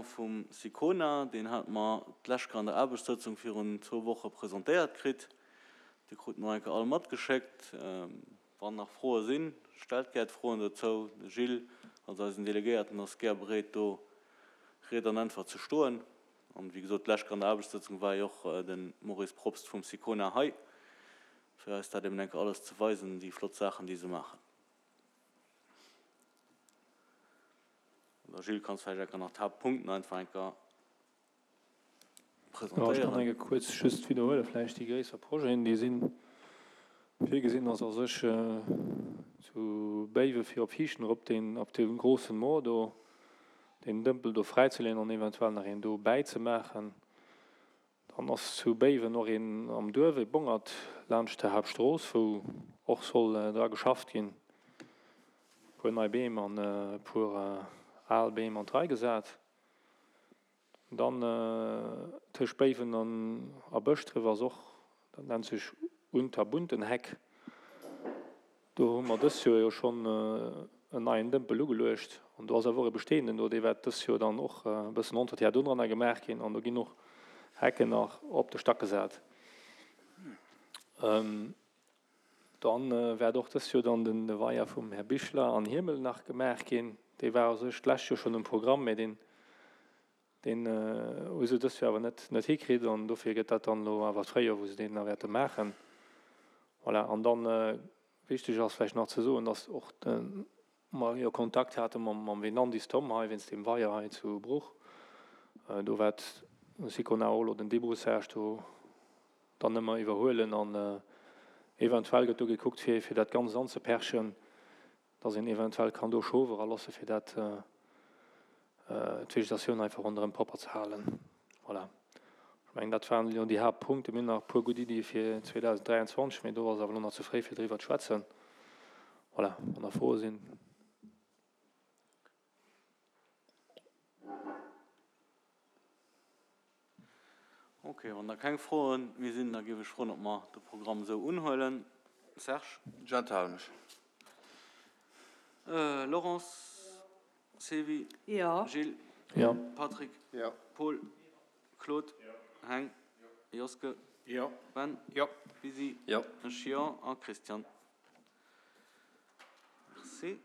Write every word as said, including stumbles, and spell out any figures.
Plan vum Sicona, deen hate mer d'lescht Kéier an der Aarbechtssëtzung virun zwou Woche presentéiert kritt. Dee krute mer enke all matgeschéckt. Wann nach Froe sinn, stellt gär d'Froen dozou. De Gilles als eisen Delegéierten ass gär bereet, do Ried an Äntwert ze stoen. An, wéi gesot, d'lescht Kéier an der Aarbechtssëtzung war jo och de Maurice Probst vum Sicona hei, fir eis dat eben enke alles ze weisen, déi flott Saachen, déi se maachen. Oder Gilles, kanns vläicht enker nach d'Haaptpunkten einfach enker Jo, ech kann presentéieren. enke kuerz just widderhuele vläicht déi gréisser Projeten, déi sinn virgesinn ass a sech zu Béiwe fir op Viichten erop deen op deem grossen Moor do deen Dëmpel do fräizeleeën an eventuell nach een do bäizemaachen. Dann ass zu Béiwen och een am Duerf, e Bongert laanscht der Haaptstrooss, wou och soll dra geschafft ginn. E puer nei Beem an e puer al Beem an d'Rei gesat. Dann tëscht Béiwen an a Bëschdref ass och, dat nennt sech Unterbuntenheck, do hu mer dëst Joer jo schonn en neien Dëmpel ugeluecht an do ass awer och e bestehenden do, dee wäert dëst Joer dann och e bëssen Entretien dodranner gemaach ginn an do ginn och Hecken nach op de Stack gesat. Dann wäert och dëst Joer dann den Weier vum Här Bichler an Hiemel nach gemaach ginn. Dee war u sech d'lescht Joer schonn um Programm, mä deen deen hu se dëst Joer awer net net hikritt an dofir gëtt dat dann elo awer d'Fréijoer, wou se deen da wäerte maachen. Voilà, an dann wichteg ass vläicht nach ze soen, dass och de mer jo Kontakt hate mam mam Venandis Tom hei wéinst deem Weier hei zu Bruch. Do wäert Sicona och elo den Débroussage do dann ëmmer iwwerhuelen an eventuell gëtt do gekuckt fir fir dat Ganzt anzeperchen, dass een eventuell kann do Schof eralosse fir dat d'Vegetatioun einfach ronderëm propper ze halen. Voilà, ech mengen dat waren elo déi Haaptpunkte. Mir hunn nach e puer gutt Iddie fir zweedausenddräianzwanzeg, mee do ass awer elo nach ze fréi fir driwwer ze schwätzen. Voilà, wann nach Froe sinn. Ok, wann da keng Froe méi sinn, da géif ech froen, ob mer de Programm esou unhuelen. Serge? Ech enthale mech. Laurence? Sylvie? Jo. Gilles? Jo. Patrick? Jo. Paul? Claude? Heng? Joske? Jo. Ben? Jo. Lisi? Jo. Ech jo. A Christian? Merci.